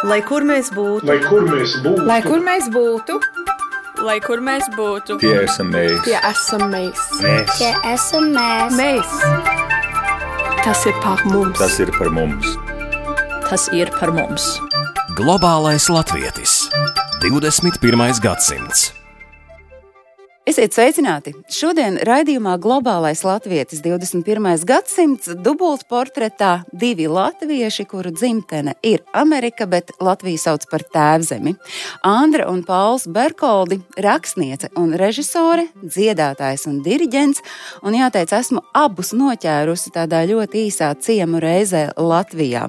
Lai kur mēs būtu, Lai kur mēs būtu, Lai kur mēs būtu, Lai kur mēs būtu, Tie esam mēs. tie esam mēs. Tie esam mēs. Mēs. Tas ir par mums. Tas ir par mums. tas ir par mums. Globālais latvietis. 21. gadsimts. Esiet sveicināti! Šodien raidījumā Globālais latvietis 21. gadsimts dubultportretā divi latvieši, kuru dzimtene ir Amerika, bet Latviju sauc par tēvzemi. Andra un Pauls Berkoldi, rakstniece un režisore, dziedātājs un diriģents, un jāteic, esmu abus noķērusi tādā ļoti īsā ciemu reizē Latvijā.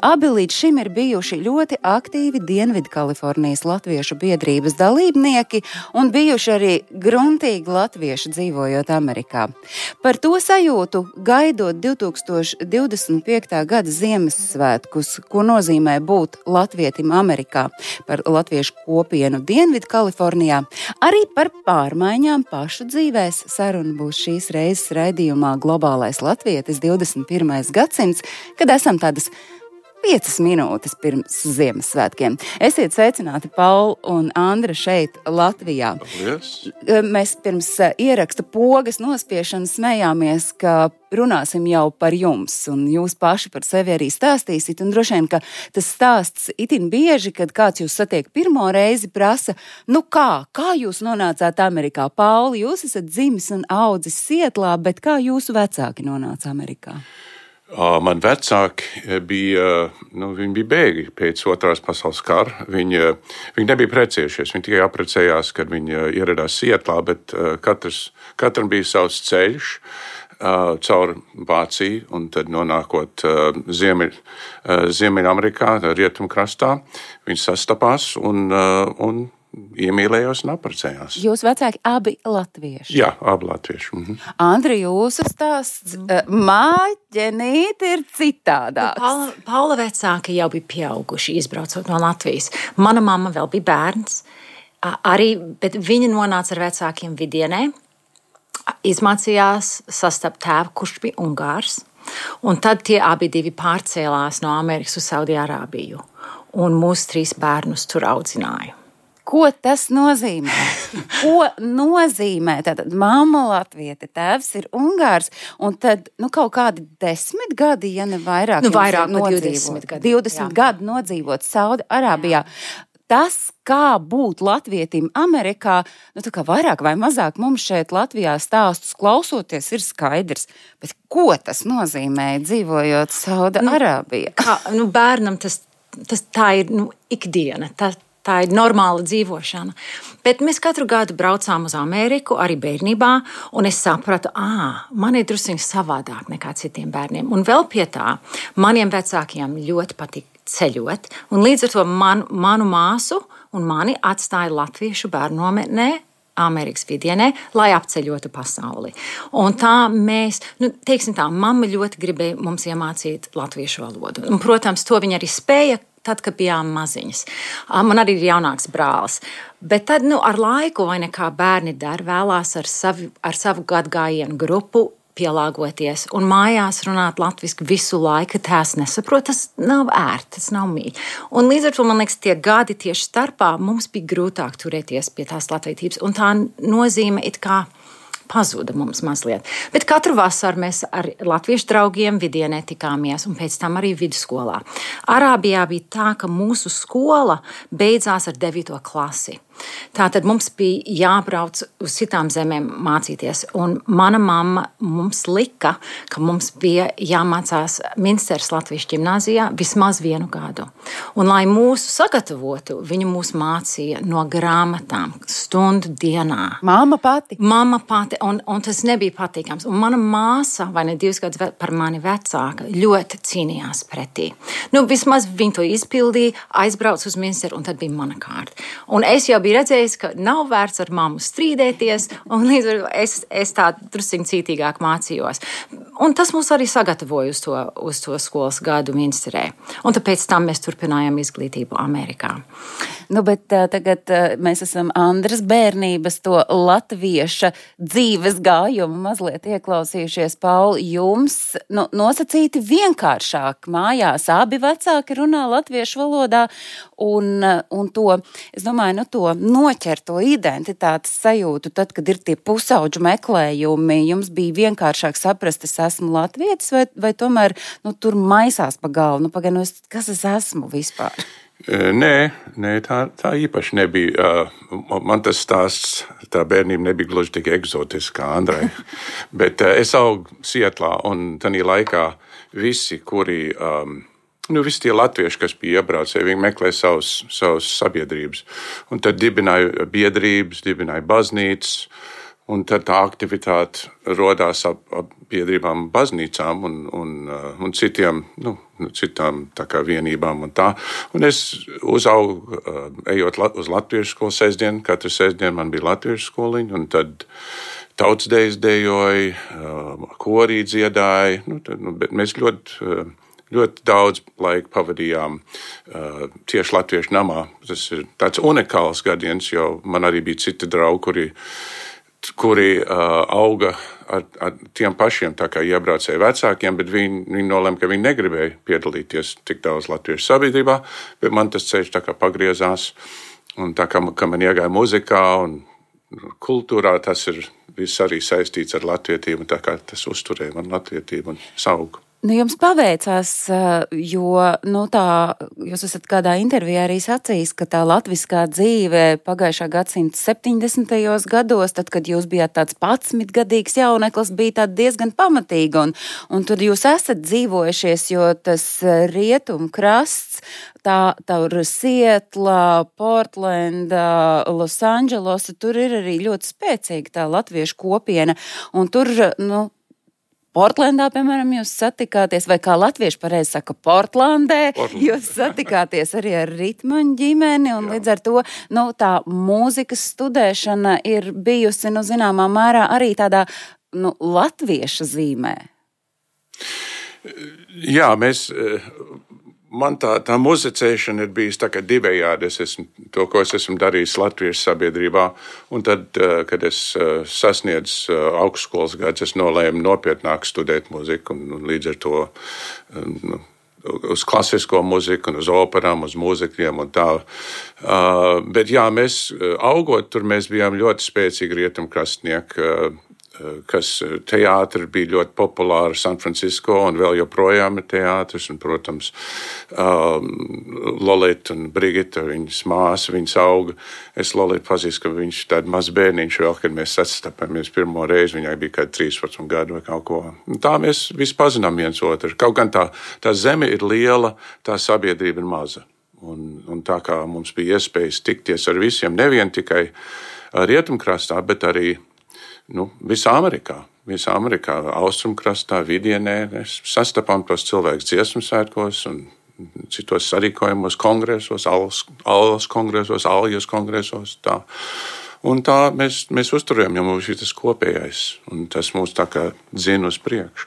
Abi līdz šim ir bijuši ļoti aktīvi Dienvidkalifornijas latviešu biedrības dalībnieki un bijuši arī gruntīgi latvieši dzīvojot Amerikā. Par to sajūtu, gaidot 2025. gada Ziemassvētkus, ko nozīmē būt latvietim Amerikā, par latviešu kopienu Dienvidkalifornijā, arī par pārmaiņām pašu dzīvēs. Saruna būs šīs reizes raidījumā Globālais latvietis 21. gadsimts, kad esam tādas 5 minūtes pirms Ziemassvētkiem. Esiet sveicināti, Paul un Andra, šeit Latvijā. Paldies. Mēs pirms ieraksta pogas nospiešanas smējāmies, ka runāsim jau par jums, un jūs paši par sevi arī stāstīsit, un droši vien, ka tas stāsts itin bieži, kad kāds jūs satiek pirmo reizi, prasa, kā jūs nonācāt Amerikā? Pauli, jūs esat dzimis un audzis Sietlā, bet kā jūsu vecāki nonāca Amerikā? Man vecāki bija bēgļi pēc otrās pasaules kara. Viņi nebija precējušies, viņi tikai apprecējās, kad viņi ieradās Sietlā, bet katram bija savs ceļš caur Vāciju, un tad nonākot Ziemeļamerikā, rietumkrastā, viņi sastapās un iemīlējās un apprecējās. Jūs vecāki abi latvieši? Jā, abi latvieši. Mhm. Andri, jūsu stāsts māģenīt ir citādāks. Paula vecāki jau bija pieauguši, izbraucot no Latvijas. Mana mamma vēl bija bērns, bet viņa nonāca ar vecākiem Vidienē, izmācījās sastapt tēvu, kurš bija Ungārs, un tad tie abi divi pārcēlās no Amerikas uz Saudi-Arābiju, un mūsu 3 bērnus tur audzināja. Ko tas nozīmē? Ko nozīmē? Tātad mamma latviete, tēvs ir Ungārs, un tad kaut kādi 10 gadi, ja ne vairāk, vairāk no 20 gadi. 20 gadi nodzīvot Saudi-Arābijā. Tas, kā būt latvietim Amerikā, tā kā vairāk vai mazāk mums šeit Latvijā stāstus klausoties ir skaidrs, bet ko tas nozīmē dzīvojot Saudi-Arābijā? Bērnam tā ir ikdiena, tā ir normāla dzīvošana. Bet mēs katru gadu braucām uz Ameriku, arī bērnībā, un es sapratu, man ir druskuļi savādāk nekā citiem bērniem. Un vēl pie tā, maniem vecākiem ļoti patīk ceļot, un līdz ar to manu māsu un mani atstāja latviešu bērnu nometnē Amerikas Vidienē, lai apceļotu pasauli. Un tā mēs, mamma ļoti gribēja mums iemācīt latviešu valodu. Un, protams, to viņa arī spēja, tad, kad bijām maziņas. Man arī ir jaunāks brālis. Bet tad, ar laiku, vai nekā bērni dara, vēlās ar savu gadgājienu grupu pielāgoties un mājās runāt latviski visu laiku, tās nesaprot, tas nav ērti, tas nav mīļi. Un līdz ar to, man liekas, tie gadi tieši starpā mums bija grūtāk turēties pie tās latvietības, un tā nozīme it kā pazuda mums mazliet. Bet katru vasaru mēs ar latviešu draugiem Vidienē tikāmies, un pēc tam arī vidusskolā. Arābijā bija tā, ka mūsu skola beidzās ar 9. klasi. Tātad mums bija jābrauc uz citām zemēm mācīties, un mana mamma mums lika, ka mums bija jāmācās Minsteras Latviešu ģimnāzijā vismaz 1 gadu. Un, lai mūsu sagatavotu, viņa mūs mācīja no grāmatām stundu dienā. Mamma pati, un tas nebija patīkams. Un mana māsa, vai ne 2 gadus par mani vecāka, ļoti cīnījās pretī. Vismaz viņa to izpildīja, aizbrauc uz Minsteru, un tad bija mana kārta. Un es jau biju redzējis, ka nav vērts ar mammu strīdēties, un līdz ar es tā drusciņ cītīgāk mācījos. Un tas mūs arī sagatavoja uz to skolas gadu Minsterē. Un tāpēc tam mēs turpinājām izglītību Amerikā. Bet tagad mēs esam Andras bērnības to latvieša dzīves gājumu mazliet ieklausījušies. Pauli, jums nosacīti vienkāršāk mājās. Abi vecāki runā latviešu valodā un to, es domāju, to noķerto identitātes sajūtu, tad, kad ir tie pusauģu meklējumi, jums bija vienkāršāk saprast, es esmu latvietis vai tomēr tur maisās pa galvu? Kas es esmu vispār? Nē, tā īpaši nebija. Man tas stāsts, tā bērnība nebija gluži tik eksotiska kā Andrai. Bet es augu Sietlā, un tajā laikā visi, kuri, visi tie latvieši, kas bija iebraucēji, viņi meklēja savus sabiedrības. Un tad dibināja biedrības, dibināja baznīcas. Un tad tā aktivitāte rodās ap biedrībām, baznīcām un citām tā kā vienībām un tā. Un es uzaugu, ejot uz latviešu skolu sestdienu, katru sestdienu man bija latviešu skoliņa, un tad tautsdejas dejoja, korī dziedāja, bet mēs ļoti daudz laika pavadījām tieši latviešu namā. Tas ir tāds unikāls gadiens, jo man arī bija citi draugi, kuri auga ar tiem pašiem tā kā iebraucēju vecākiem, bet viņi nolēma, ka viņi negribēja piedalīties tik daudz latviešu sabiedrībā, bet man tas ceļš tā kā pagriezās, un tā kā man iegāja muzikā un kultūrā, tas ir viss arī saistīts ar latvietību, un tā kā tas uzturēja man latvietību un saugu. Jums paveicās, jo jūs esat kādā intervijā arī sacījis, ka tā latviskā dzīve pagājušā gadsimta 70. gados, tad, kad jūs bijāt tāds 11-gadīgs jauneklis, bija tāda diezgan pamatīga, un tur jūs esat dzīvojušies, jo tas rietumkrasts, tur Sietla, Portlanda, Losandželosa, tur ir arī ļoti spēcīga tā latviešu kopiena, un tur, Portlandā, piemēram, jūs satikāties, vai kā latvieši pareizi saka, Portlandē, jūs satikāties arī ar ritmaņu ģimeni, un līdz ar to, tā mūzikas studēšana ir bijusi, zināmā mērā arī tādā, latvieša zīmē. Jā, man tā muzicēšana ir bijusi tā kā divējādi. Ko es esmu darījis latviešu sabiedrībā, un tad, kad es sasniedzu augstskolas gadus, es nolēmu nopietnāk studēt muziku, un līdz ar to uz klasisko muziku, un uz operām, uz mūzikļiem un tā. Bet jā, mēs augot tur, mēs bijām ļoti spēcīgi rietumkrastnieki, kas teātri bija ļoti populāri San Francisco, un vēl joprojām ir teātris, un, protams, Lolita un Brigita, viņas māsa, viņas auga. Es Lolitu pazīstu, ka viņš tād maz bērniņš vēl, kad mēs sastapāmies pirmo reizi, viņai bija kādi 13 gadu vai kaut ko. Un tā mēs visi pazinām viens otru. Kaut gan tā zeme ir liela, tā sabiedrība ir maza. Un tā kā mums bija iespējas tikties ar visiem, nevien tikai rietumkrastā, bet arī visā Amerikā, austrumkrastā, vidienē, mēs sastapām tos cilvēkus dziesmu svētkos un citos sarīkojumos, kongresos, aljas kongresos, tā. Un tā mēs uzturējam, jo mums ir tas kopējais, un tas mūs tā kā dzina uz priekšu.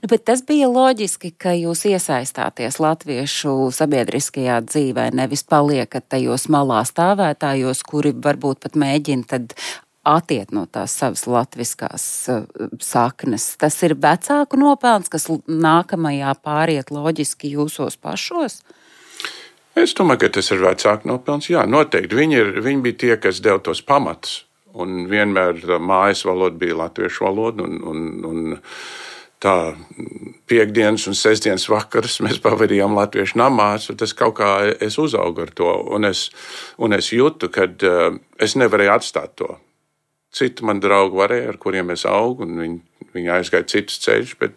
Bet tas bija loģiski, ka jūs iesaistāties latviešu sabiedriskajā dzīvē, nevis paliekat tajos malā stāvētājos, kuri varbūt pat mēģina tad atiet no tās savas latviskās saknes. Tas ir vecāku nopelns, kas nākamajā pāriet loģiski jūsos pašos? Es domāju, ka tas ir vecāku nopelns. Jā, noteikti. Viņi bija tie, kas deva tos pamatus. Un vienmēr mājas valoda bija latviešu valoda. Un tā piekdienas un sestdienas vakaras mēs pavadījām latviešu namās. Tas kaut kā es uzaugu ar to. Un es jūtu, ka es nevarēju atstāt to. Citi man draugi varēja, ar kuriem es augu, un viņi aizgāja citus ceļus, bet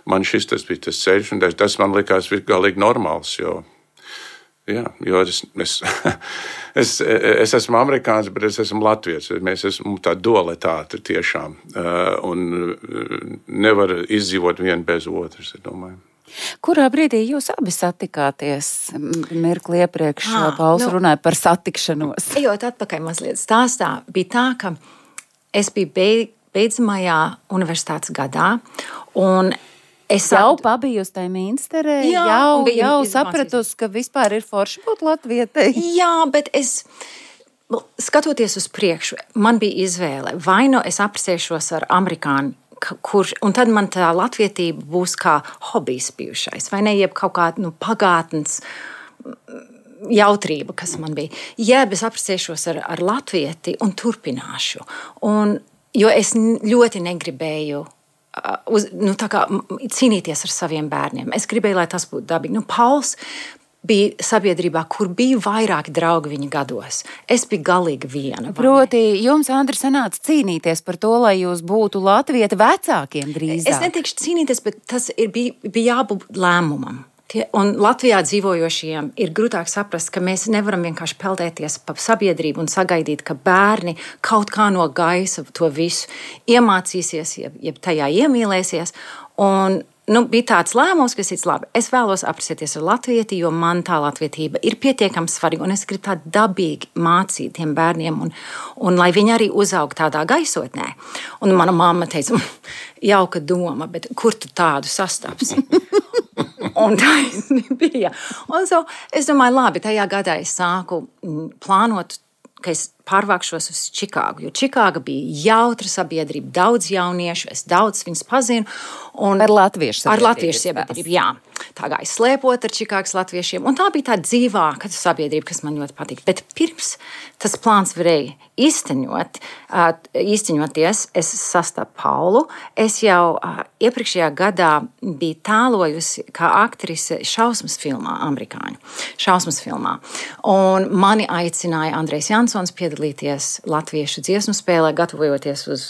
man tas bija tas ceļš, un tas man likās galīgi normāls, jo es esmu amerikāns, bet es esmu latvietis. Mēs esam tā dualitāte tiešām, un nevar izdzīvot vienu bez otras, es domāju. Kurā brīdī jūs abi satikāties? Mirkli iepriekš Pauls runāja par satikšanos. Ejot atpakaļ mazliet stāstā, bija tā, ka es biju beidzamajā universitātes gadā, un jau pabijusi tajā Minsterē, jau sapratusi, ka vispār ir forši būt latvietei. Jā, bet skatoties uz priekšu, man bija izvēle. Vai nu es apprecēšos ar amerikāņu, un tad man tā latvietība būs kā hobijs bijušais, vai ne, jeb kaut kāda pagātnes jautrība, kas man bija. Jā, es apprecēšos ar latvieti un turpināšu. Jo es ļoti negribēju cīnīties ar saviem bērniem. Es gribēju, lai tas būtu dabīgi. Pauls bija sabiedrībā, kur bija vairāki draugi viņa gados. Es biju galīgi viena. Proti, jums, Andri, sanāca cīnīties par to, lai jūs būtu latvieti vecākiem drīzāk. Es neteikšu cīnīties, bet tas bija jābūt lēmumam. Un Latvijā dzīvojošiem ir grūtāk saprast, ka mēs nevaram vienkārši peldēties pa sabiedrību un sagaidīt, ka bērni kaut kā no gaisa to visu iemācīsies, jeb tajā iemīlēsies. Un bija tāds lēmums, kas ir labi. Es vēlos apprecēties ar latvieti, jo man tā latvietība ir pietiekami svarīga, un es gribu tā dabīgi mācīt tiem bērniem, un lai viņi arī uzaug tādā gaisotnē. Un mana mamma teica, jauka doma, bet kur tu tādu sastapsi? Un tā bija. Un es domāju, labi, tajā gadā es sāku plānot, ka es pārvākšos uz Čikāgu, jo Čikāga bija jautra sabiedrība, daudz jauniešu, es daudz viņus pazinu. Ar latviešu sabiedrību. Ar latviešu sabiedrību, jā. Tā gāja slēpot ar Čikāgas latviešiem, un tā bija tā dzīvāka sabiedrība, kas man ļoti patīk. Bet pirms tas plāns varēja īsteņoties, es sastapu Paulu. Es jau iepriekšējā gadā biju tēlojusi kā aktrise šausmas filmā, amerikāņu šausmas filmā. Un mani aicināja Andrejs Jansons piedalīties latviešu dziesmu spēlē, gatavojoties uz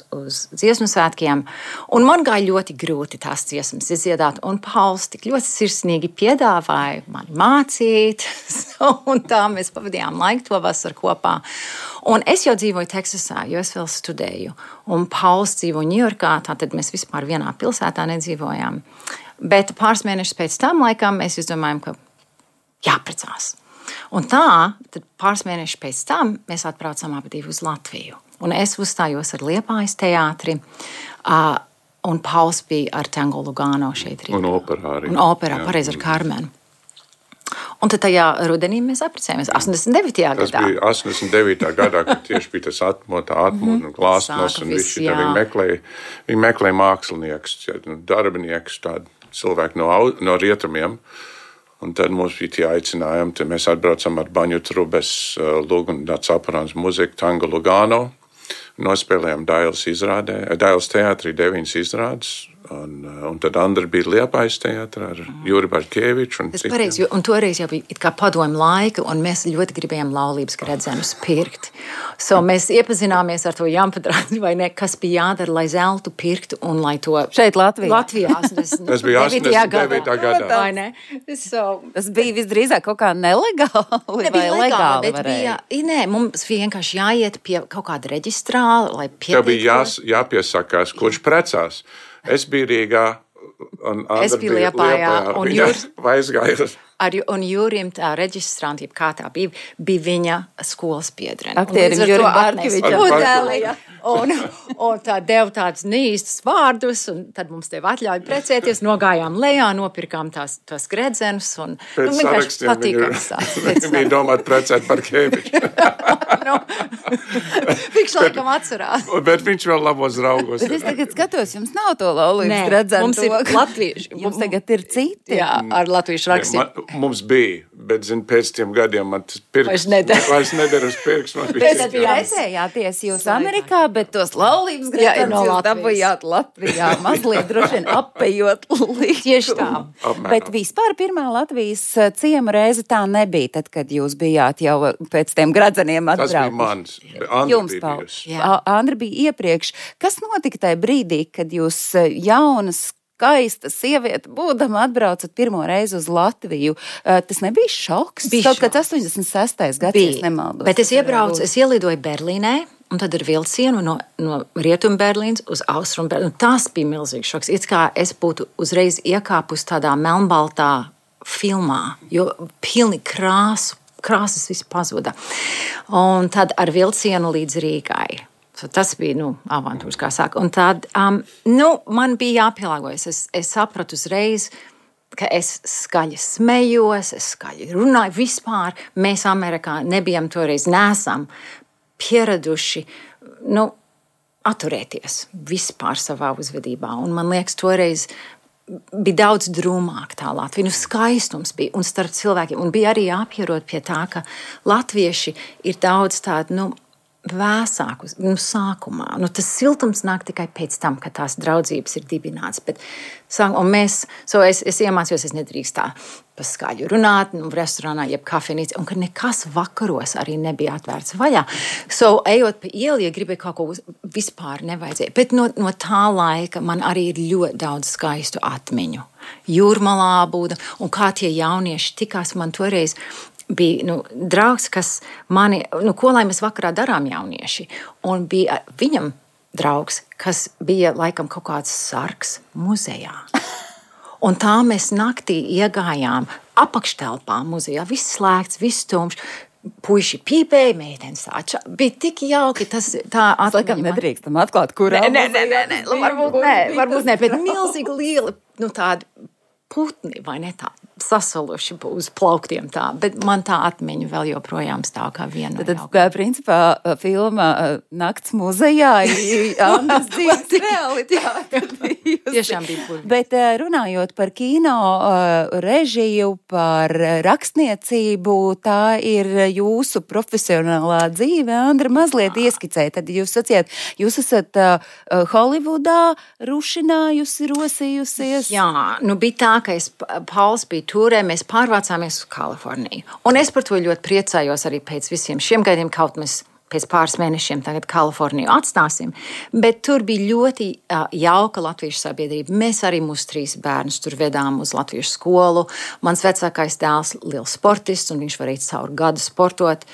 dziesmu svētkiem. Un man gāja ļoti grūti tās dziesmas izdziedāt, un Pauls tik ļoti sirsnīgi piedāvāja mani mācīt, un tā mēs pavadījām laiku to vasaru kopā. Un es jau dzīvoju Teksasā, jo es vēl studēju, un Pauls dzīvo Ņujorkā, tātad mēs vispār vienā pilsētā nedzīvojām. Bet pāris mēnešus pēc tam laikam mēs izdomājām, ka jāprecās. Un tā, tad pāris mēnešus pēc tam mēs atbraucām abi uz Latviju. Un es uzstājos ar Liepājas teātri, un Pauls bija ar Tango Lugano šeit Rīgā. Un operā arī. Un operā, pareizi ar Karmenu. Un tad tajā rudenī mēs apprecējāmies 89. gadā. Tas bija 89. gadā, kad tieši bija tas atmodu un glāstnos, un visi viņi meklēja mākslinieks, darbinieks, tādu cilvēku no rietumiem. Un tad mums bija tie aicinājumi, tad mēs atbraucam ar Baņu Trubes lūgu un Caparāns muziku Tango Lugano. Nospēlējām Dailes teātrī 9 izrādes, un tad Andra bija Liepājas teātrā ar Juri Barkeviču. Tas pareizi, un toreiz jau bija it kā padomju laika, un mēs ļoti gribējām laulības gredzenus pirkt. Mēs iepazināmies ar to Jampedrāti, vai ne, kas bija jādara, lai zeltu pirktu, un lai to... Šeit Latvijā. Tas bija 89. gadā. Vai ne? Tas bija visdrīzāk kaut kā nelegāli vai legāli varēja? Nē, mums vienkārši jāiet pie kaut kāda reģistrāla, lai pieteiktu. Tev bija jāpiesakās, kurš precās. Es biju Rīgā, un Andra bija Liepājā, un Jūras aizgāja. Un Jūrim tā reģistranti, kā tā bija viņa skolas biedrene. Aktierim Jurim Barkevičam. Un tā deva tādus neīstus vārdus, un tad mums tev atļauja precēties, nogājām lejā, nopirkām tās gredzenus, un vienkārši patīkams tās. Viņa bija domāt precēt Barkeviču. Viņš laikam atcerās. Bet viņš vēl labos draugos. Bet es tagad skatos, jums nav to laulības gredzenu. Mums ir latvieši. Jums tagad ir citi. Jā, ar latviešu rakstiem. Mums bija, bet pēc tiem gadiem man tas pirks vairs nedara uz pirks. Pēc precējāties jūs Amerikā, bet tos laulības gredzenus jūs dabujāt Latvijā, mazliet droši vien apejot līdzi. Tieši tā. Bet vispār pirmā Latvijas ciema reize tā nebija, tad, kad jūs bijāt jau pēc tiem gredzeniem atbraukuši. Tas bija mans. Jums, Paul. Andra bija iepriekš. Kas notika tajā brīdī, kad jūs jaunas, skaista sieviete, būdama atbraucat pirmo reizi uz Latviju? Tas nebija šoks? Kaut kāds 86. gads, ja es nemaldos. Bet es ielidoju Berlīnē, un tad ar vilcienu no Rietumu Berlīnas uz Austrumu Berlīnu. Tas bija milzīgs šoks. It kā es būtu uzreiz iekāpus tādā melnbaltā filmā, jo pilni krāsas viss pazuda. Un tad ar vilcienu līdz Rīgai. Tas bija avantūrs, kā saka. Un tad man bija jāpielāgojas. Es sapratu uzreiz, ka es skaļi smējos, es skaļi runāju. Vispār mēs Amerikā nebijam toreiz, nesam pieraduši atturēties vispār savā uzvedībā. Un man liekas, toreiz bija daudz drūmāk tā Latvija. Skaistums bija un starp cilvēkiem. Un bija arī jāpierod pie tā, ka latvieši ir daudz tādu, vēsāku sākumā. Tas siltums nāk tikai pēc tam, kad tās draudzības ir dibināts. Es iemācījos, es nedrīkst tā pa skaļu runāt, restorānā, jeb kafejnīcā, un ka nekas vakaros arī nebija atvērts vaļā. Ejot pa ielu, ja gribēju kaut ko vispār nevajadzēja. Bet no tā laika man arī ir ļoti daudz skaistu atmiņu. Jūrmalā būda, un kā tie jaunieši tikās man toreiz. Bija draugs, kas mani, ko lai mēs vakarā darām jaunieši. Un bija viņam draugs, kas bija laikam kaut kāds sargs muzejā. Un tā mēs naktī iegājām apakštelpā muzejā. Viss slēgts, viss tumšs. Puiši pīpēja, meitenes tā. Bija tik jauki. Tā laikam nedrīkstam atklāt, kurā muzejā. Varbūt ne, bet milzīgi lieli, tādi putni, vai ne tā, sasaluši uz plauktiem tā, bet man tā atmiņa vēl joprojām stāv kā viena. Tad, principā, filma Nakts muzejā ir Andras dzīves realitāte. Tiešām bija burvīgi. Bet runājot par kino režiju, par rakstniecību, tā ir jūsu profesionālā dzīve. Andra, mazliet ieskicē. Tad jūs sacījāt, jūs esat Holivudā rušinājusi, rosījusies. Jā, bija tā, ka Pauls bija turē, mēs pārvācāmies uz Kaliforniju. Un es par to ļoti priecājos arī pēc visiem šiem gadiem, kaut mēs pēc pāris mēnešiem tagad Kaliforniju atstāsim. Bet tur bija ļoti jauka latviešu sabiedrība. Mēs arī mūsu 3 bērnus tur vedām uz latviešu skolu. Mans vecākais dēls liels sportists, un viņš varēja caur gadu sportot.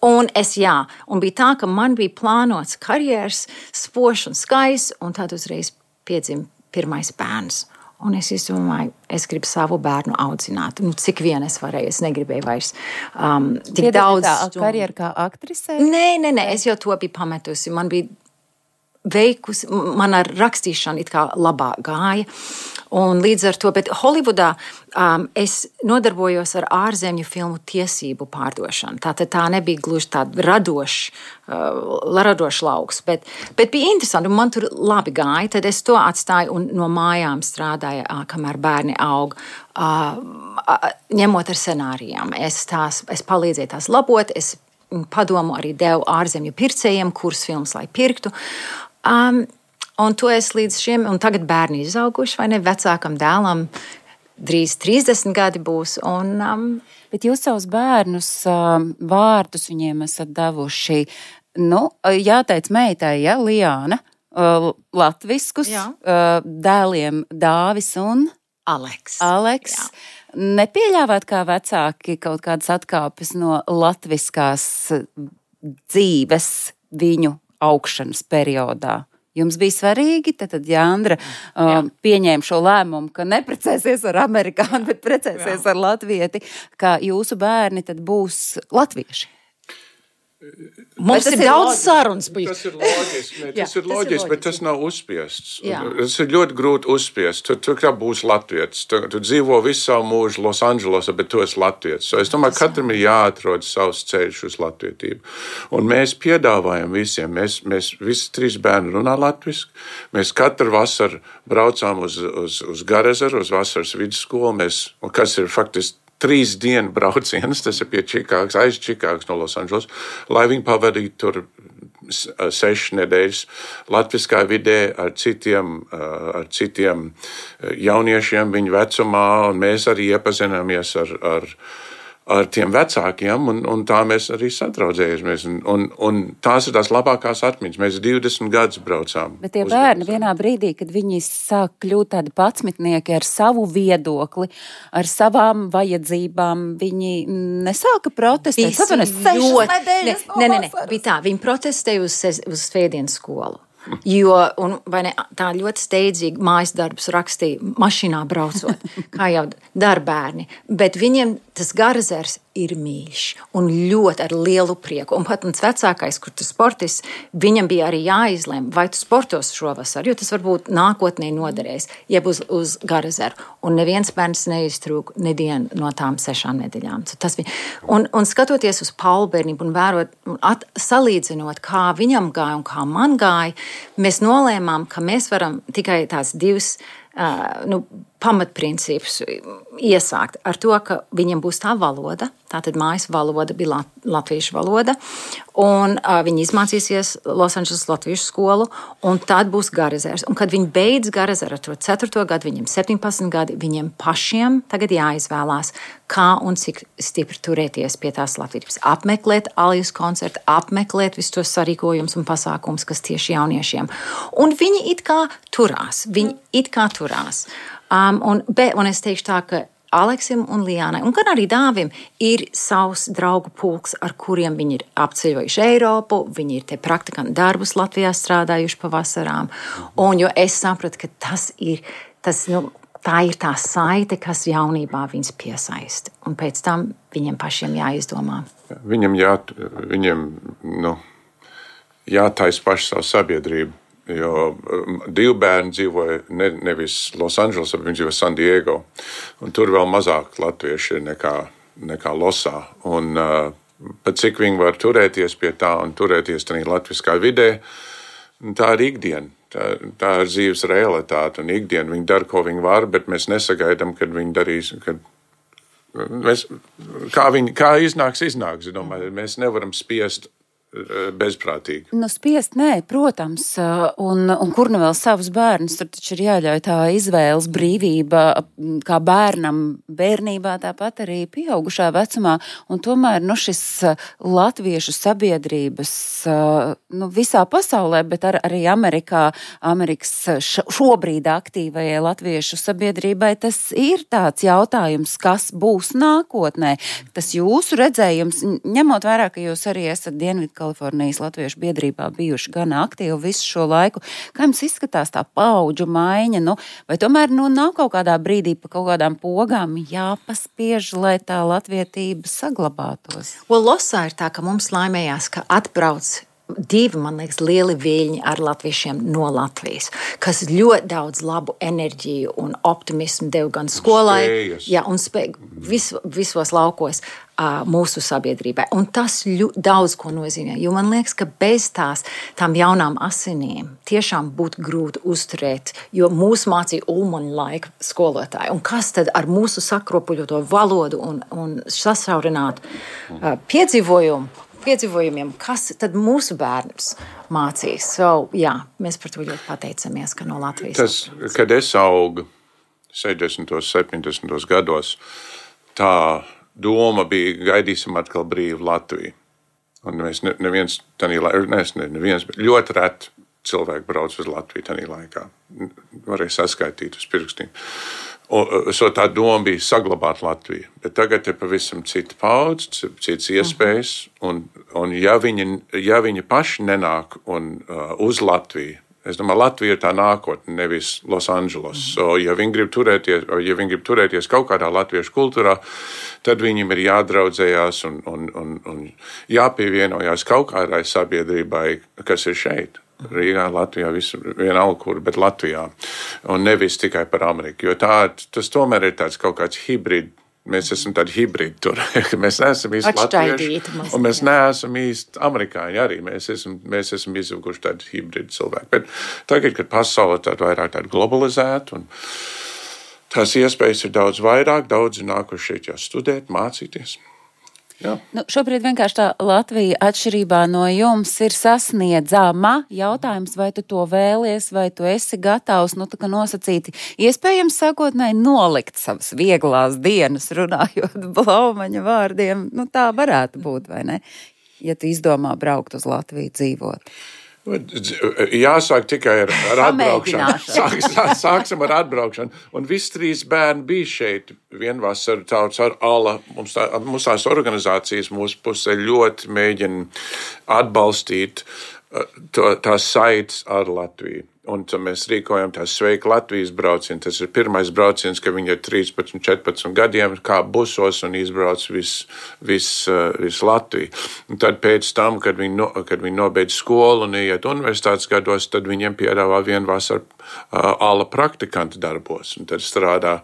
Un bija tā, ka man bija plānots karjeras spožs un skaists, un tad uzreiz piedzima pirmais bērns. Un es domāju, es gribu savu bērnu audzināt. Cik vien es varēju, es negribēju vairs tik daudz. Karjeru kā aktrisē? Nē, es jau to biju pametusi. Man bija veikusi, man ar rakstīšanu it kā labāk gāja. Un līdz ar to, bet Holivudā es nodarbojos ar ārzemju filmu tiesību pārdošanu. Tā nebija gluži tāda radošs lauks, bet bija interesanti, un man tur labi gāja. Tad es to atstāju un no mājām strādāju, kamēr bērni aug, ņemot ar scenārijām. Es palīdzēju tās labot, es padomu arī devu ārzemju pircējiem, kuras filmas lai pirktu. Un to es līdz šiem, un tagad bērni izauguši, vai ne, vecākam dēlam drīz 30 gadi būs. Bet jūs savus bērnus vārdus viņiem esat devuši, jāteic meitai, Liāna, latviskus, dēliem Dāvis un Aleks. Jā. Nepieļāvāt kā vecāki kaut kādas atkāpes no latviskās dzīves viņu augšanas periodā? Jums bija svarīgi, tad Jāndra pieņēma šo lēmumu, ka neprecēsies ar amerikāni, bet precēsies ar latvieti, ka jūsu bērni tad būs latvieši. Mums ir daudz sarunas bijušas. Tas ir loģiski, bet tas nav uzspiests. Tas ir ļoti grūti uzspiest. Tu kā būs latvietis. Tu dzīvo visu savu mūžu Losandželosā, bet tu esi latvietis. Es domāju, katram ir jāatrod savs ceļš uz latvietību. Un mēs piedāvājam visiem. Mēs visi 3 bērni runā latviski. Mēs katru vasaru braucām uz Garezaru, uz vasaras vidusskolu. Kas ir faktiski 3 dienu brauciens, tas ir pie Čikāgas, aiz Čikāgas no Losandželos, lai viņi pavadītu tur 6 nedēļas latviskā vidē ar citiem jauniešiem viņu vecumā, un mēs arī iepazināmies ar tiem vecākiem, un tā mēs arī sadraudzējamies. Un tās ir tās labākās atmiņas. Mēs 20 gadus braucām. Bet tie bērni vienā brīdī, kad viņi sāk kļūt tādi patsmitnieki ar savu viedokli, ar savām vajadzībām, viņi nesāka protestēt. Nē, bija tā. Viņi protestēja uz svētdienas skolu. Jo, tā ļoti steidzīgi mājas darbus rakstīja mašīnā braucot, kā jau dara bērni. Bet viņiem tas Garazers ir mīļš un ļoti ar lielu prieku. Un pat mans vecākais, kur tu sportists, viņam bija arī jāizlem, vai tu sportos šovasar, jo tas varbūt nākotnē noderēs, jeb uz Garazeru. Un neviens bērns neiztrūk nedienu no tām 6 nedēļām. Un skatoties uz Paulu bērnību un vērot, salīdzinot, kā viņam gāja un kā man gāja, mēs nolēmām, ka mēs varam tikai tās 2 pamatprincipus iesākt ar to, ka viņam būs tā valoda, tātad mājas valoda bija latviešu valoda, un viņi izmācīsies Losandželas latviešu skolu, un tad būs Garazers. Un kad viņi beidz Garazeru ar to 4. gadu, viņiem 17 gadi, viņiem pašiem tagad jāizvēlās, kā un cik stipri turēties pie tās latvības. Apmeklēt Alijas koncertu, apmeklēt visus tos sarīkojumus un pasākumus, kas tieši jauniešiem. Un viņi it kā turās. Un es teikšu tā, ka Aleksim un Lijānai, un gan arī Dāvim, ir savs draugu pulks, ar kuriem viņi ir apceļojuši Eiropu, viņi ir te praktikantu darbus Latvijā strādājuši pavasarām, un jo es sapratu, ka tā ir tā saite, kas jaunībā viņus piesaista, un pēc tam viņiem pašiem jāizdomā. Viņam jātaisa paši savu sabiedrību. Jo 2 bērni dzīvoja nevis Losandželosā, bet viņi dzīvoja San Diego. Un tur vēl mazāk latvieši ir nekā Losā. Un pat cik viņi var turēties pie tā un turēties tādā latviskā vidē, tā ir ikdiena. Tā ir dzīves realitāte un ikdiena. Viņi dara, ko viņi var, bet mēs nesagaidām, kad viņi darīs. Kā iznāks. Es domāju, mēs nevaram spiest bezprātīgi. Spiest, nē, protams, un kur nu vēl savus bērnus, tur taču ir jāļauj tā izvēles brīvība, kā bērnam bērnībā, tāpat arī pieaugušā vecumā, un tomēr, šis latviešu sabiedrības, visā pasaulē, bet arī Amerikas šobrīd aktīvajai latviešu sabiedrībai, tas ir tāds jautājums, kas būs nākotnē. Tas jūsu redzējums, ņemot vērā, ka jūs arī esat Kalifornijas latviešu biedrībā bijuši gan aktīvi visu šo laiku. Kā jums izskatās tā paudžu maiņa? Vai tomēr nav kaut kādā brīdī pa kaut kādām pogām jāpaspiež, lai tā latvietība saglabātos? Losā ir tā, ka mums laimējās, ka atbrauc 2, man liekas, lieli viļņi ar latviešiem no Latvijas, kas ļoti daudz labu enerģiju un optimismu deva gan skolai, un visos laukos mūsu sabiedrībai. Un tas daudz ko nozīmē, jo man liekas, ka bez tām jaunām asinīm tiešām būtu grūti uzturēt, jo mūs mācīja Ulmaņa laika skolotāji. Un kas tad ar mūsu sakropuļoto valodu un sasaurinātu piedzīvojumiem, kas tad mūsu bērnus mācīs. Mēs par to ļoti pateicamies, ka no Latvijas. Kad es augu 60. 70. gados, tā doma bija, gaidīsim atkal brīvu Latviju. Un mēs neviens, bet ļoti reti cilvēki brauc uz Latviju tajā laikā. Varēja saskaitīt uz pirkstiem. Tā doma bija saglabāt Latviju. Bet tagad ir pavisam cita paudze, citas iespējas. Un ja viņi paši nenāk uz Latviju, es domāju, Latvija ir tā nākotne, nevis Losandželos. Ja viņi grib turēties kaut kādā latviešu kultūrā, tad viņiem ir jādraudzējās un jāpievienojās kaut kādai sabiedrībai, kas ir šeit. Rīgā, Latvijā, vienalga kur, bet Latvijā. Un nevis tikai par Ameriku. Jo tas tomēr ir tāds kaut kāds hibrīd. Mēs esam tādi hibrīdi tur. Mēs neesam īsti latvieši, un mēs neesam īsti amerikāņi arī. Mēs esam izauguši tādi hibrīdi cilvēki. Bet tagad, kad pasaule vairāk tāda globalizēta, un tās iespējas ir daudz vairāk, daudzi nākuši šeit jau studēt, mācīties. Šobrīd vienkārši tā Latvija atšķirībā no jums ir sasniedzama. Jautājums, vai tu to vēlies, vai tu esi gatavs, tā kā nosacīti, iespējams sākotnēji nolikt savas vieglās dienas, runājot Blaumaņa vārdiem. Tā varētu būt, vai ne? Ja tu izdomā braukt uz Latviju dzīvot. Jāsāk tikai ar atbraukšanu. Sāksim ar atbraukšanu. Un visi 3 bērni bija šeit vienvasaru tautas ar ALA. Mums tās organizācijas mūsu pusē ļoti mēģina atbalstīt tās saites ar Latviju. Un tad mēs rīkojam tās Sveika Latvijas braucienu. Tas ir pirmais brauciens, ka viņi ir 13, 14 gadiem, kā busos un izbrauc visu Latviju. Un tad pēc tam, kad viņi nobeidz skolu un iet universitātes gados, tad viņiem piedāvā vienu vasaru ala praktikantu darbos. Un tad strādā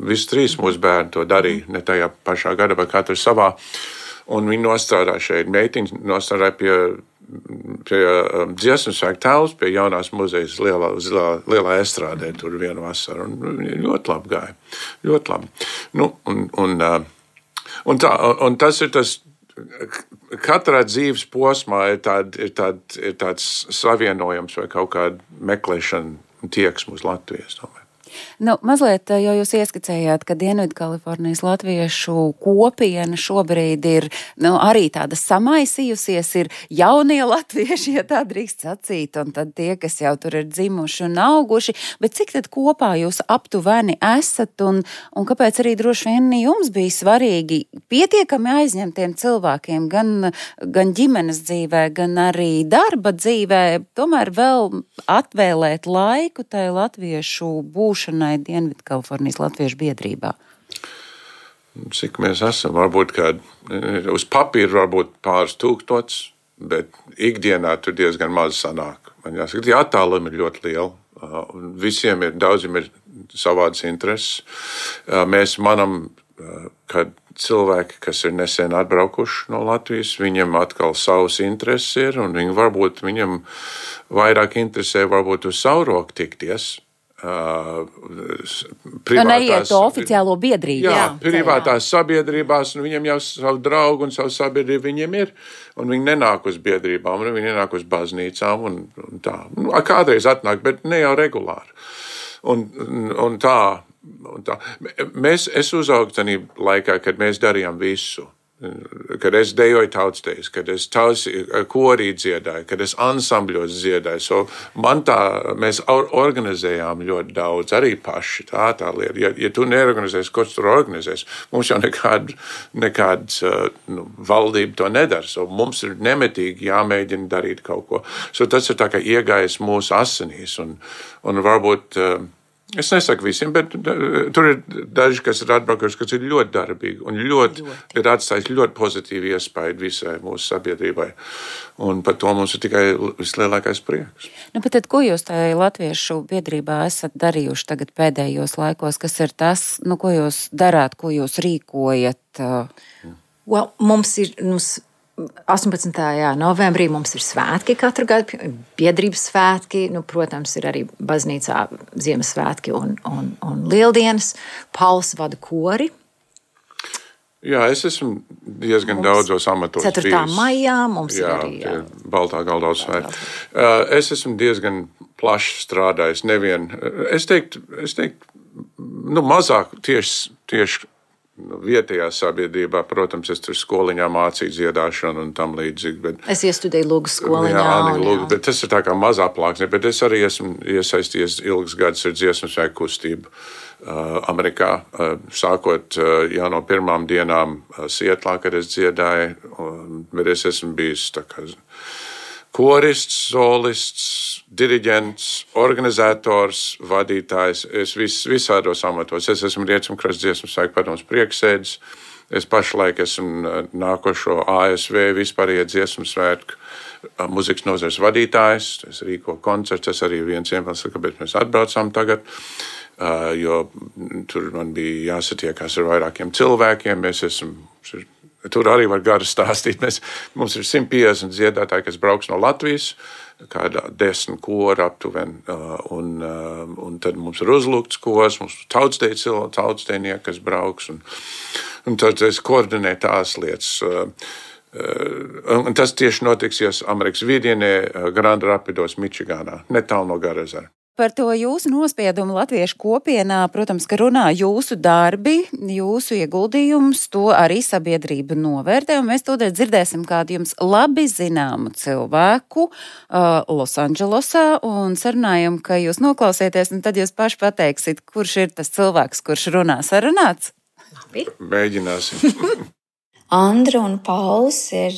visi 3 mūsu bērni to darīja, ne tajā pašā gadā, bet katru savā. Un viņi nostrādā šeit. Meitiņas nostrādā pie dziesmu svētku telpas, pie jaunās muzejas lielā estrādē tur vienu vasaru. Un ļoti labi gāja. Ļoti labi. Nu, un tas ir tas, katrā dzīves posmā ir tāds savienojums vai kaut kāda meklēšana tieksme uz Latvijas, domāju. Nu, mazliet jau jūs ieskicējāt, ka Dienvidkalifornijas latviešu kopiena šobrīd ir arī tāda samaisījusies, ir jaunie latvieši, ja tā drīkst sacīt, un tad tie, kas jau tur ir dzimuši un auguši, bet cik tad kopā jūs aptuveni esat, un kāpēc arī droši vien jums bija svarīgi pietiekami aizņemtiem cilvēkiem, gan ģimenes dzīvē, gan arī darba dzīvē, tomēr vēl atvēlēt laiku tai latviešu būšanai Dienvidkalifornijas latviešu biedrībā? Cik mēs esam? Varbūt uz papīra varbūt pāris tūkstots, bet ikdienā tur diezgan maz sanāk. Man jāsaka, tie attālumi ir ļoti lieli. Daudziem ir savādas intereses. Mēs manam, kad cilvēki, kas ir nesen atbraukuši no Latvijas, viņiem atkal savas intereses ir, un viņam vairāk interesē varbūt uz Sauroku tikties. Neiet to oficiālo biedrību. Jā, privātās sabiedrībās, un viņiem jau savu draugu un savu sabiedrību viņiem ir, un viņi nenāk uz biedrībām, un viņi nenāk uz baznīcām, un tā. Kādreiz atnāk, bet ne jau regulāri. Un tā. Es uzaugu tajā laikā, kad mēs darījām visu. Kad es dejoju tautsdejas, kad es korī dziedāju, kad es ansambļos dziedāju. So mēs organizējām ļoti daudz, arī paši. Tā lieta. Ja tu neorganizēsi, ko tu tur organizēsi? Mums jau nekāds valdība to nedara. So mums ir nemetīgi jāmēģina darīt kaut ko. So tas ir tā kā iegājis mūsu asinīs. Un varbūt... Es nesaku visiem, bet tur ir daži, kas ir atbraukuši, kas ir ļoti darbīgi un ir atstājis ļoti pozitīvu iespaidu visai mūsu sabiedrībai. Un par to mums ir tikai vislielākais prieks. Bet tad, ko jūs tajā latviešu biedrībā esat darījuši tagad pēdējos laikos? Kas ir tas, ko jūs darāt, ko jūs rīkojat? Mums ir... 18. novembrī mums ir svētki katru gadu, biedrības svētki, protams, ir arī baznīcā Ziemassvētki un Lieldienas. Pauls vada kori. Jā, es esmu diezgan daudzos amatos. 4. maijā mums ir arī... Jā, Baltā Galdauts svētki. Es esmu diezgan plaši strādājis. Es teiktu, mazāk tieši vietējā sabiedrībā, protams, es tur skoliņā mācīju dziedāšanu un tam līdzīgi. Bet, es iestudēju lūgu skoliņā. Bet tas ir tā kā mazā plāksne, bet es arī esmu iesaistījies ilgas gadus ar dziesmu svētku kustību Amerikā, sākot jau no pirmām dienām Sietlā, kad es dziedāju, bet es esmu bijis tā kā korists, solists, diriģents, organizators, vadītājs. Es visādos amatos. Es esmu Rietumkrasts dziesmu svētku padomes prieksēdis. Es pašlaik esmu nākošo ASV vispārējie dziesmu svētku muzikas nozares vadītājs. Es rīko koncerts. Tas arī viens iemesls, kāpēc mēs atbraucām tagad. Jo tur man bija jāsatiekās ar vairākiem cilvēkiem. Tur arī var gari stāstīt. Mums ir 150 dziedātāji, kas brauks no Latvijas, kāda 10 kora aptuveni, un tad mums ir uzlūgts kors, mums ir tautsdejnieki, kas brauks, un tad es koordinēju tās lietas. Un tas tieši notiksies Amerikas vidienē, Grand Rapidos, Mičigānā, netālu no Garezera. Par to jūsu nospiedumu latviešu kopienā, protams, ka runā jūsu darbi, jūsu ieguldījums, to arī sabiedrība novērtē, un mēs tūdaļ dzirdēsim kādu jums labi zināmu cilvēku Losandželosā, un sarunājam, ka jūs noklausieties, un tad jūs paši pateiksit, kurš ir tas cilvēks, kurš runā. Sarunāts? Mēģināsim. Andra un Pauls ir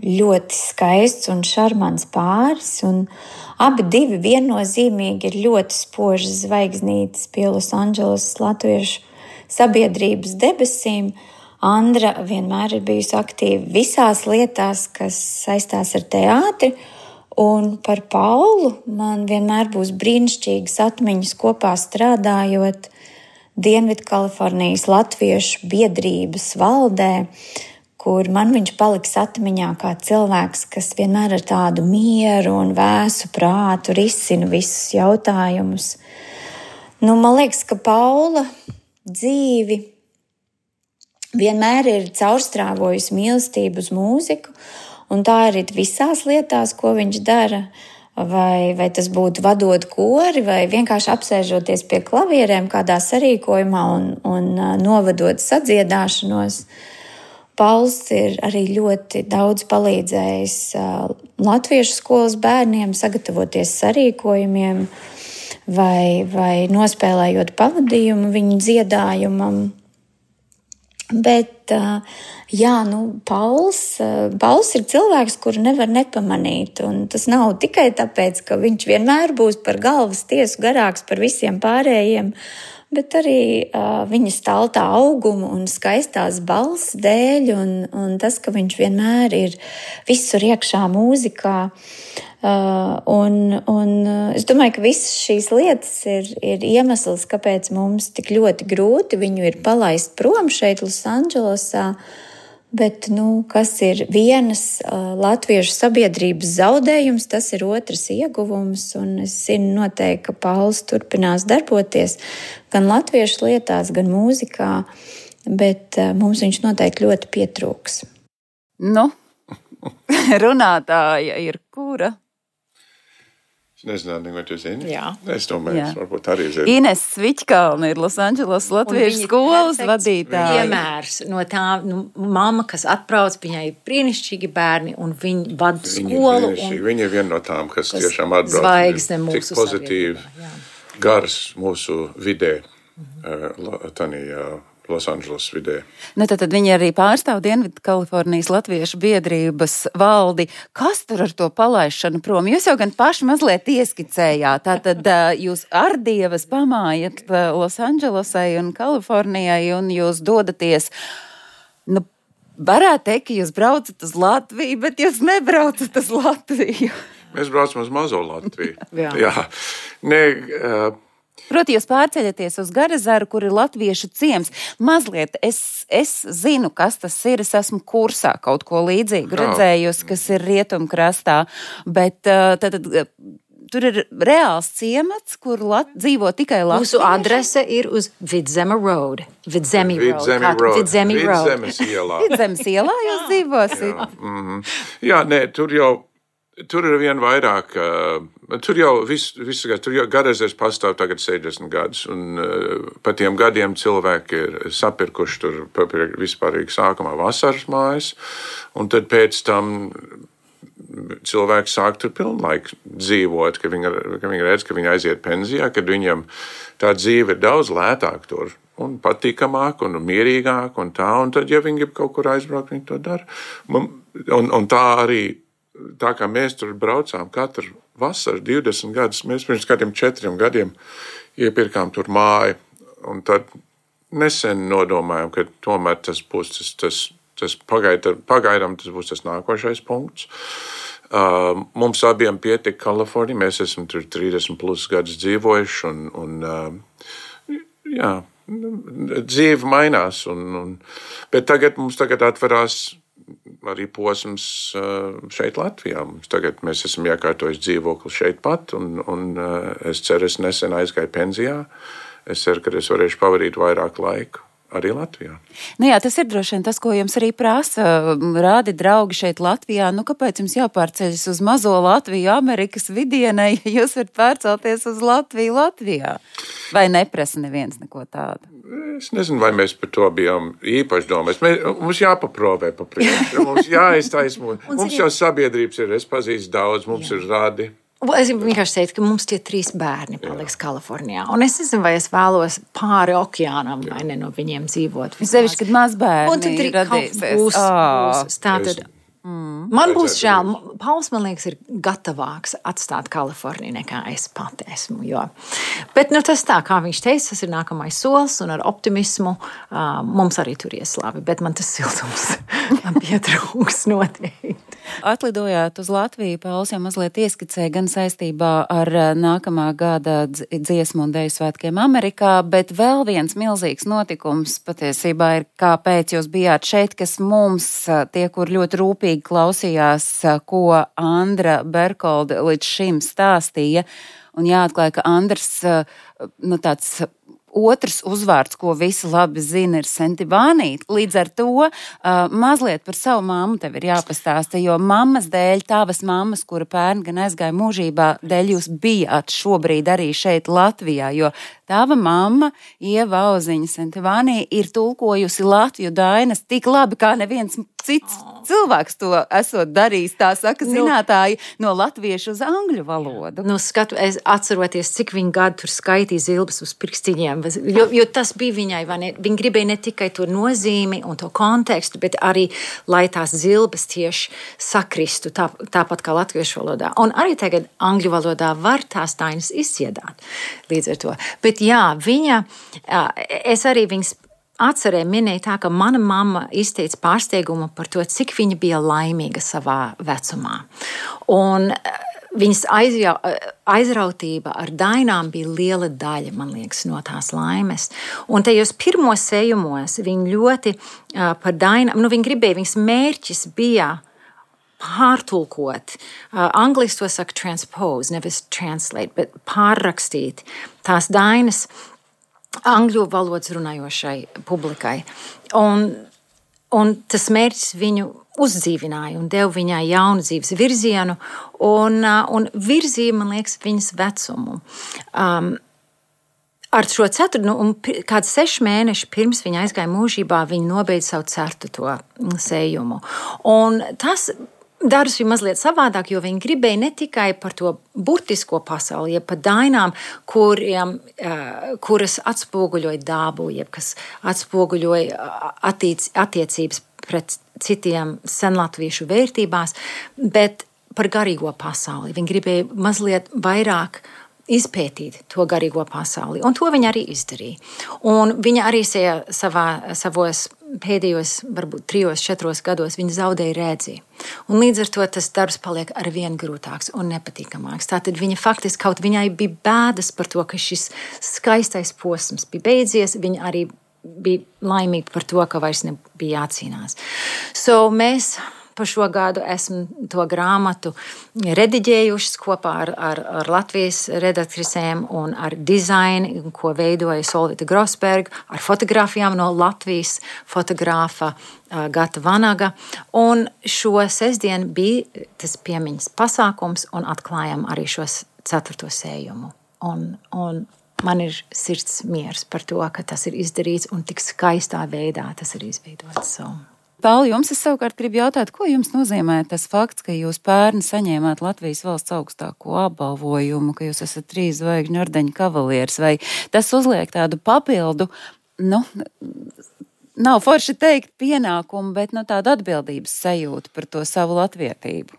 ļoti skaists un šarmants pāris, un abi divi viennozīmīgi ir ļoti spožas zvaigznītes pie Losandželosas latviešu sabiedrības debesīm. Andra vienmēr ir bijusi aktīva visās lietās, kas saistās ar teātri, un par Paulu man vienmēr būs brīnišķīgas atmiņas kopā strādājot Dienvidkalifornijas latviešu biedrības valdē, kur man viņš paliks atmiņā kā cilvēks, kas vienmēr ar tādu mieru un vēsu prātu risina visus jautājumus. Man liekas, ka Paula dzīvi vienmēr ir caurstrāvojusi mīlestību uz mūziku, un tā arī visās lietās, ko viņš dara. Vai tas būtu vadot kori, vai vienkārši apsēžoties pie klavierēm kādā sarīkojumā un novadot sadziedāšanos. Pauls ir arī ļoti daudz palīdzējis latviešu skolas bērniem sagatavoties sarīkojumiem vai nospēlējot pavadījumu viņu dziedājumam. Bet, Pauls ir cilvēks, kuru nevar nepamanīt, un tas nav tikai tāpēc, ka viņš vienmēr būs par galvas tiesu garāks par visiem pārējiem, bet arī viņa staltā auguma un skaistās balss dēļ, un tas, ka viņš vienmēr ir visur iekšā mūzikā. Es domāju, ka visas šīs lietas ir iemesls, kāpēc mums tik ļoti grūti viņu ir palaist prom šeit Losandželosā, bet, kas ir vienas latviešu sabiedrības zaudējums, tas ir otrs ieguvums, un es zinu noteikti, ka Pauls turpinās darboties gan latviešu lietās, gan mūzikā, bet mums viņš noteikti ļoti pietrūks. Runātāja ir kura? Nezinu, vai tu zini? Jā. Es domāju, varbūt arī zinu. Ines Sviķkalna ir Losandželosas latviešu skolas vadītāja. Piemērs no tā, mamma, kas atbrauc, viņai ir brīnišķīgi bērni, un viņi vada skolu. Viņa ir viena no tām, kas tiešām atbrauc. Zvaigzne mūsu tik pozitīvi, gars mūsu vidē, tanī Losandželosas vidē. Tad viņi arī pārstāv Dienvidkalifornijas latviešu biedrības valdi. Kas tur ar to palaišanu prom? Jūs jau gan paši mazliet ieskicējāt. Tātad jūs ar dievas pamājat Losandželosai un Kalifornijai, un jūs dodaties, varētu teikt, ka jūs braucat uz Latviju, bet jūs nebraucat uz Latviju. Mēs braucam uz mazo Latviju. Jā. Proti, jūs pārceļaties uz Garazaru, kur ir latviešu ciems. Mazliet es zinu, kas tas ir. Es esmu kursā kaut ko līdzīgu redzējusi, kas ir rietumkrastā. Bet tad tur ir reāls ciemats, kur dzīvo tikai latvieši. Mūsu adrese ir uz Vidzeme Road. Vidzemi Road. Vidzemes ielā. Vidzemes ielā jūs dzīvosit? Jā, tur ir vien vairāk, tur jau Garazers pastāv tagad 60 gadus, un pa tiem gadiem cilvēki ir sapirkuši tur vispārīgi sākumā vasaras mājas, un tad pēc tam cilvēki sāk tur pilnlaik dzīvot, ka viņi redz, ka viņi aiziet pensijā, kad viņiem tā dzīve ir daudz lētāk tur, un patīkamāk, un mierīgāk, un tad, ja viņi grib kaut kur aizbraukt, viņi to dara. Un tā arī, tā kā mēs tur braucām katru vasaru 20 gadus, mēs pirms kādiem 4 gadiem iepirkām tur māju, un tad nesen nodomājām, ka tomēr tas būs tas pagaidām tas būs tas nākošais punkts. Mums abiem pietika Kalifornija, mēs esam tur 30 plus gadus dzīvojuši, un dzīve mainās, bet mums tagad atverās arī posms šeit Latvijā. Tagad mēs esam iekārtojuši dzīvokli šeit pat, un es ceru, es nesen aizgāju pensijā. Es ceru, ka es varēšu pavadīt vairāk laiku arī Latvijā. Tas ir droši vien tas, ko jums arī prasa. Rādi draugi šeit Latvijā. Kāpēc jums jāpārceļas uz mazo Latviju, Amerikas vidienai, ja jūs varat pārcelties uz Latviju Latvijā? Vai neprasa neviens neko tādu? Es nezinu, vai mēs par to bijām īpaši domājis. Mums jāpaprovē pa priekšu, mums jāiztaismo. Mums jau sabiedrības ir, es pazīstu daudz, mums ir radi. Es vienkārši teicu, ka mums tie 3 bērni paliks Kalifornijā. Un es nezinu, vai es vēlos pāri okeānam vai ne no viņiem dzīvot. Sevišķi, kad mazbērni un tad būs. Tātad man būs žēl. Pauls, man liekas, ir gatavāks atstāt Kaliforniju nekā es pati esmu. Jo. Bet tas tā, kā viņš teica, tas ir nākamais solis un ar optimismu mums arī tur ies labi. Bet man tas siltums pietrūks noteikti. Atlidojāt uz Latviju, Pauls jau mazliet ieskicēja gan saistībā ar nākamā gada dziesmu un deju svētkiem Amerikā, bet vēl viens milzīgs notikums patiesībā ir, kāpēc jūs bijāt šeit, kas mums, tie, kur ļoti rūpīgi klausījās, ko Andra Berkolde līdz šim stāstīja, un jāatklāja, ka Andrs, tāds otrs uzvārds, ko visi labi zina, ir Sentivānī. Līdz ar to mazliet par savu mammu tev ir jāpastāsta, jo mammas dēļ, tavas mammas, kura pērn gan aizgāja mūžībā, dēļ jūs bijāt šobrīd arī šeit Latvijā, jo tava mamma, Ieva Auziņa Sentivānī, ir tulkojusi Latviju dainas tik labi, kā neviens cits cilvēks to esot darījis, tā saka zinātāji, no latviešu uz angļu valodu. Es atceroties, cik viņa gadu tur skaitīja zilbes uz pirkstiņiem, jo tas bija viņai, vai ne? Viņa gribēja ne tikai to nozīmi un to kontekstu, bet arī, lai tās zilbes tieši sakristu, tāpat kā latviešu valodā. Un arī tagad angļu valodā var tās dainas izdziedāt līdz ar to. Bet jā, es arī viņas atcerēju, minēju tā, ka mana mamma izteica pārsteigumu par to, cik viņa bija laimīga savā vecumā. Un viņas aizrautība ar dainām bija liela daļa, man liekas, no tās laimes. Un tajos pirmos sējumos viņa ļoti par dainām, viņa gribēja, viņas mērķis bija pārtulkot. Angliski to saka transpose, nevis translate, bet pārrakstīt tās dainas angļu valodas runājošai publikai. Un tas mērķis viņu uzdzīvināja un deva viņai jaunu dzīves virzienu un virzīja, man liekas, viņas vecumu. Ar šo kāds 6 mēneši pirms viņa aizgāja mūžībā, viņa nobeidza savu 4. sējumu. Un tas darbs bija mazliet savādāk, jo viņi gribēja ne tikai par to burtisko pasauli, jeb par dainām, kuras atspoguļoja dabu, jeb kas atspoguļoja attiecības pret citiem senlatviešu vērtībās, bet par garīgo pasauli. Viņi gribēja mazliet vairāk izpētīt to garīgo pasauli, un to viņa arī izdarīja. Un viņa arī savos pēdējos, varbūt 3-4 gados, viņa zaudēja redzi. Un līdz ar to tas darbs paliek arvien grūtāks un nepatīkamāks. Tātad viņa faktiski kaut viņai bija bēdas par to, ka šis skaistais posms bija beidzies, viņa arī bija laimīga par to, ka vairs nebija jācīnās. Mēs par šo gadu esmu to grāmatu rediģējušas kopā ar Latvijas redaktrisēm un ar dizainu, ko veidoja Solvita Grosberga, ar fotogrāfijām no Latvijas fotogrāfa Gata Vanaga. Un šo sestdienu bija tas piemiņas pasākums un atklājam arī šos 4. sējumu. Un man ir sirds miers par to, ka tas ir izdarīts un tik skaistā veidā tas ir izveidots. Pauli, jums es savukārt gribu jautāt, ko jums nozīmē tas fakts, ka jūs pērn saņēmāt Latvijas valsts augstāko apbalvojumu, ka jūs esat 3 zvaigžņu ordeņa kavalieris, vai tas uzliek tādu papildu, nav forši teikt pienākumu, bet tādu atbildības sajūtu par to savu latvietību?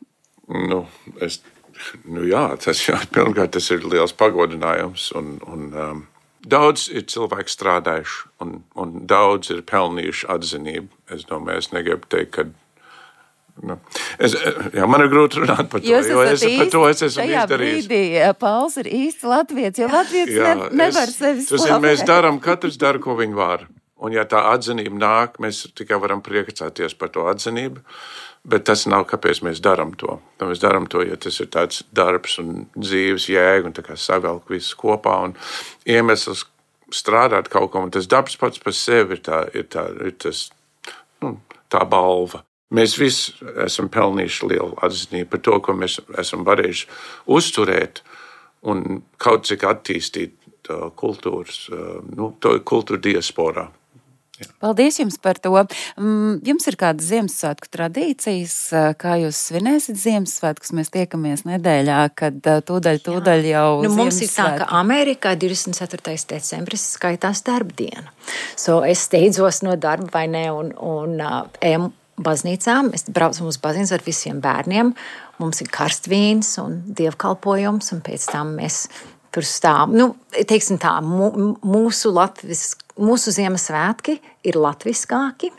Pirmkārt, tas ir liels pagodinājums un daudz ir cilvēki strādājuši un daudz ir pelnījuši atzinību. Es domāju, es negribu teikt, ka man ir grūti runāt par to, jo par to es esmu izdarījis. Brīdī, Pauls ir īsts latvietis, jo latvietis nevar sevi slavēt. Mēs katrs dara, ko viņi var. Un ja tā atzinība nāk, mēs tikai varam priecāties par to atzinību, bet tas nav, kāpēc mēs darām to. Mēs darām to, ja tas ir tāds darbs un dzīves jēga un tā kā savelk visu kopā un iemesls strādāt kaut ko. Un tas darbs pats par sevi ir tā balva. Mēs visi esam pelnījuši lielu atzinību par to, ko mēs esam varējuši uzturēt un kaut cik attīstīt kultūras, to kultūra diasporā. Paldies jums par to. Jums ir kādas Ziemassvētku tradīcijas, kā jūs svinēsiet Ziemassvētkus? Mēs tiekamies nedēļā, kad tūdaļ jau mums ir tā, ka Amerikā 24. decembris skaitās darbdiena. Es steidzos no darba vai ne un ejam baznīcā. Mēs braucam uz baznīcu ar visiem bērniem. Mums ir karstvīns un dievkalpojums, un pēc tam mēs tur stāvam. Teiksim tā, mūsu Ziemassvētki ir latviskāki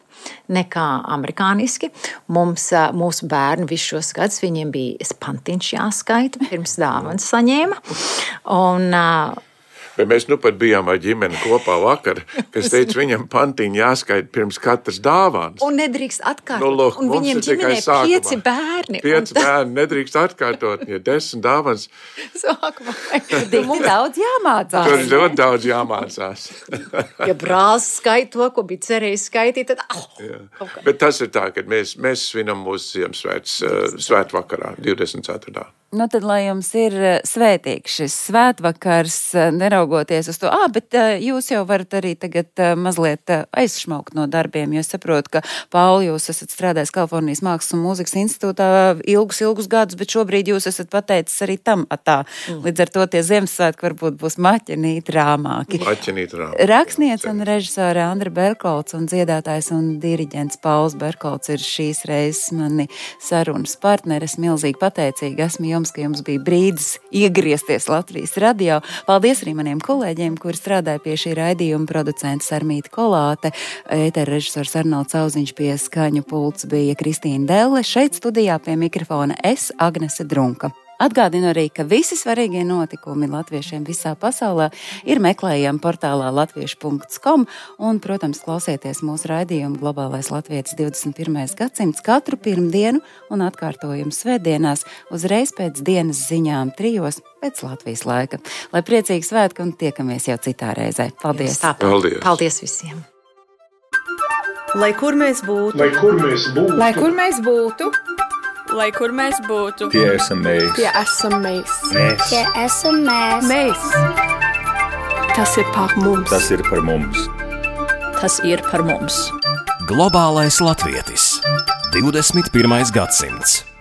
nekā amerikāniski. Mūsu bērni visus šos gadus, viņiem bija pantiņš jāskaita, pirms dāvanas saņēma. Bet mēs pat bijām ar ģimeni kopā vakar, kas teica, viņam pantiņi jāskaita pirms katras dāvāns. Un nedrīkst atkārtot. Un viņiem ģimenē 5 bērni. 5 bērni nedrīkst atkārtot, ja 10 dāvāns. Sākumā. Mums daudz jāmācās. Tur ir ļoti daudz jāmācās. Ja brālis skaita to, ko bija cerējis skaitīt, tad... Bet tas ir tā, ka mēs svinam mūsu Ziemassvētku svētvakarā, 24. Tad, lai jums ir svētīgs šis svētvakars, neraugoties uz to, bet jūs jau varat arī tagad mazliet aizšmaukt no darbiem, jo es saprotu, ka, Pauli, jūs esat strādājis Kalifornijas Mākslas un Mūzikas institūtā ilgus gadus, bet šobrīd jūs esat pateicis arī tam atā. Līdz ar to tie Ziemassvētki varbūt būs maķenīt rāmāki. Rakstniece un režisore Andra Berkolts un dziedātājs un diriģents Pauls Berkolts ir šīs reizes mani sarunas partneris. Milzīgi pateicīgi esmu jums, ka jums bija brīdis iegriezties Latvijas radio. Paldies arī maniem kolēģiem, kuri strādāja pie šī raidījuma, producents Sarmīta Kolāte, ētera režisors Arnolds Auziņš, pie skaņu pults bija Kristīna Delle, šeit studijā pie mikrofona es, Agnese Drunka. Atgādinu arī, ka visi svarīgie notikumi latviešiem visā pasaulē ir meklējami portālā latviešu.com un, protams, klausieties mūsu raidījumu Globālais Latvietis 21. gadsimts katru pirmdienu un atkārtojumu svētdienās uzreiz pēc dienas ziņām 3 pēc Latvijas laika. Lai priecīgi svētki un tiekamies jau citā reizē. Paldies! Paldies visiem! Lai kur mēs būtu, lai kur mēs būtu, lai kur mēs būtu, lai kur mēs būtu, tie esam mēs. Tie esam mēs. Tie esam mēs. Mēs. Tas ir par mums. Tas ir par mums. Tas ir par mums. Globālais Latvietis. 21. gadsimts.